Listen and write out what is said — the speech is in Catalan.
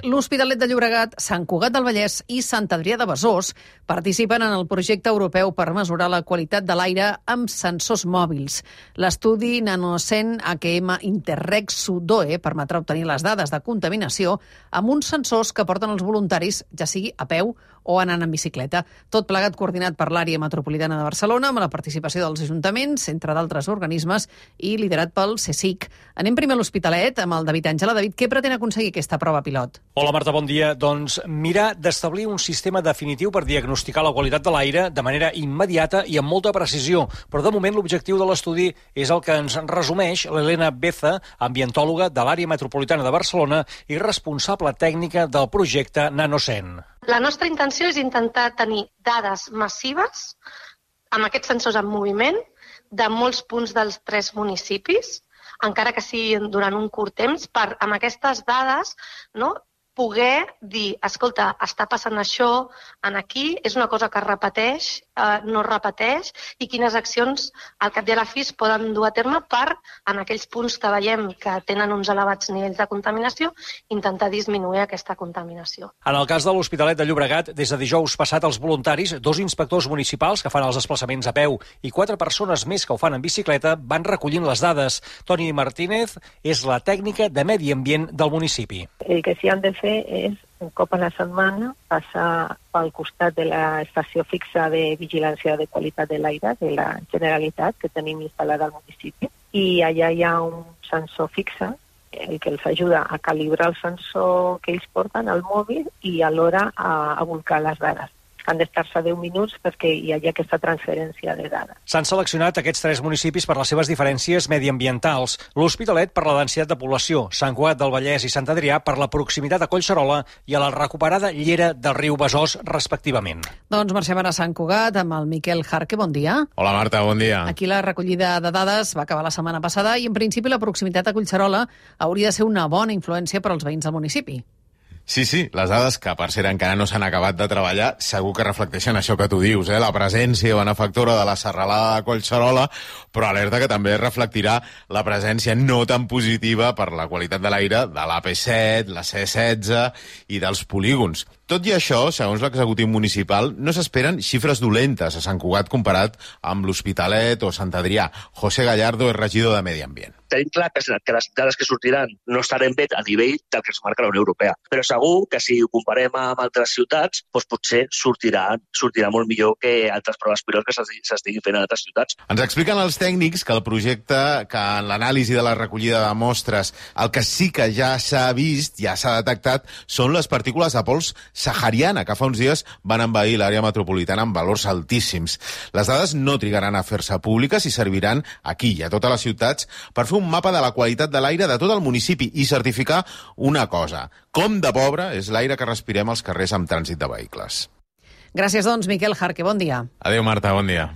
L'Hospitalet de Llobregat, Sant Cugat del Vallès i Sant Adrià de Besòs participen en el projecte europeu per mesurar la qualitat de l'aire amb sensors mòbils. L'estudi NanoSen AQM Interreg Sudoe permetrà obtenir les dades de contaminació amb uns sensors que porten els voluntaris, ja sigui a peu o anant en bicicleta. Tot plegat coordinat per l'àrea metropolitana de Barcelona amb la participació dels ajuntaments, entre d'altres organismes, i liderat pel CSIC. Anem primer a l'Hospitalet amb el David Àngela. David, què pretén aconseguir aquesta prova pilot? Hola Marta, bon dia. Doncs mirar d'establir un sistema definitiu per diagnosticar la qualitat de l'aire de manera immediata i amb molta precisió. Però de moment l'objectiu de l'estudi és el que ens resumeix l'Helena Beza, ambientòloga de l'àrea metropolitana de Barcelona i responsable tècnica del projecte NanoSen. La nostra intenció és intentar tenir dades massives amb aquests sensors en moviment de molts punts dels 3 municipis, encara que sigui durant un curt temps, per amb aquestes dades, no, poder dir, escolta, està passant això en aquí, és una cosa que es repeteix, no es repeteix, i quines accions al cap i a la fi es poden dur a terme per, en aquells punts que veiem que tenen uns elevats nivells de contaminació, intentar disminuir aquesta contaminació. En el cas de l'Hospitalet de Llobregat, des de dijous passat, els voluntaris, 2 inspectors municipals que fan els desplaçaments a peu i 4 persones més que ho fan en bicicleta, van recollint les dades. Toni Martínez és la tècnica de medi ambient del municipi. El que s'hi han de fer és, un cop a la setmana, passar pel costat de l'estació fixa de vigilància de qualitat de l'aire de la Generalitat, que tenim instal·lada al municipi, i allà hi ha un sensor fixe, el que els ajuda a calibrar el sensor que ells porten al mòbil i alhora a volcar les dades. Han d'estar-se 10 minuts perquè hi hagi aquesta transferència de dades. S'han seleccionat aquests 3 municipis per les seves diferències mediambientals. L'Hospitalet per la densitat de població, Sant Cugat del Vallès i Sant Adrià per la proximitat a Collserola i a la recuperada llera del riu Besòs, respectivament. Doncs marxem ara a Sant Cugat amb el Miquel Jarque. Bon dia. Hola Marta, bon dia. Aquí la recollida de dades va acabar la setmana passada i en principi la proximitat a Collserola hauria de ser una bona influència per als veïns del municipi. Sí, les dades, que per cert encara no s'han acabat de treballar, segur que reflecteixen això que tu dius, la presència benefactora de la serralada de Collserola, però alerta que també reflectirà la presència no tan positiva per la qualitat de l'aire de l'AP7, la C16 i dels polígons. Tot i això, segons l'executiu municipal, no s'esperen xifres dolentes a Sant Cugat comparat amb l'Hospitalet o Sant Adrià. José Gallardo és regidor de Medi Ambient. Tenim clar que les dades que sortiran no estaran bé a nivell del que ens marca la Unió Europea, però segur que si ho comparem amb altres ciutats, doncs potser sortirà molt millor que altres proves pilot que s'estiguin fent en altres ciutats. Ens expliquen els tècnics que el projecte, que en l'anàlisi de la recollida de mostres, el que sí que ja s'ha vist, ja s'ha detectat, són les partícules de pols sahariana, que fa uns dies van envair l'àrea metropolitana amb valors altíssims. Les dades no trigaran a fer-se públiques i serviran aquí i a totes les ciutats per fer un mapa de la qualitat de l'aire de tot el municipi i certificar una cosa: com de pobre és l'aire que respirem als carrers amb trànsit de vehicles. Gràcies, doncs, Miquel Jarque. Bon dia. Adéu, Marta, bon dia.